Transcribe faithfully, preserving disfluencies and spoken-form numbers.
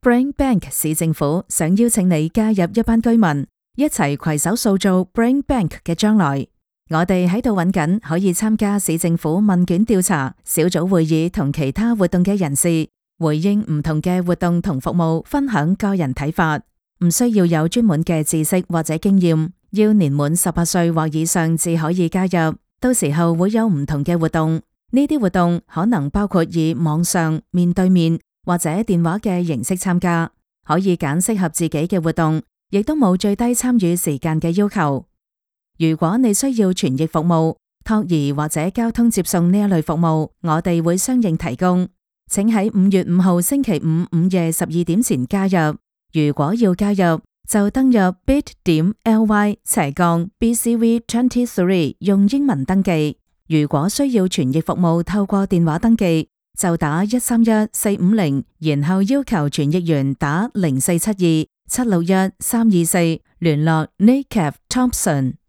Brain Bank 市政府想邀請你加入一班居民，一齊攜手塑造 Brain Bank 嘅將來。我哋喺度揾緊可以參加市政府問卷調查、小組會議同其他活動嘅人士，回應唔同嘅活動同服務，分享個人睇法。唔需要有專門嘅知識或者經驗，要年滿十八歲或以上至可以加入。到時候會有唔同嘅活動，呢啲活動可能包括以網上、面對面或者電話嘅形式參加，可以揀適合自己嘅活動，亦都冇最低參與時間嘅要求。如果你需要傳譯服務、托兒或者交通接送呢一類服務，我哋會相應提供。請喺五月五號星期五午夜十二點前加入。如果要加入，就登入 bit.ly 斜槓 bcv twenty-three 用英文登記。如果需要傳譯服務透過電話登記，就打一三一四五零，然後要求傳譯員打零四七二七六一三二四聯絡 Nick Thompson。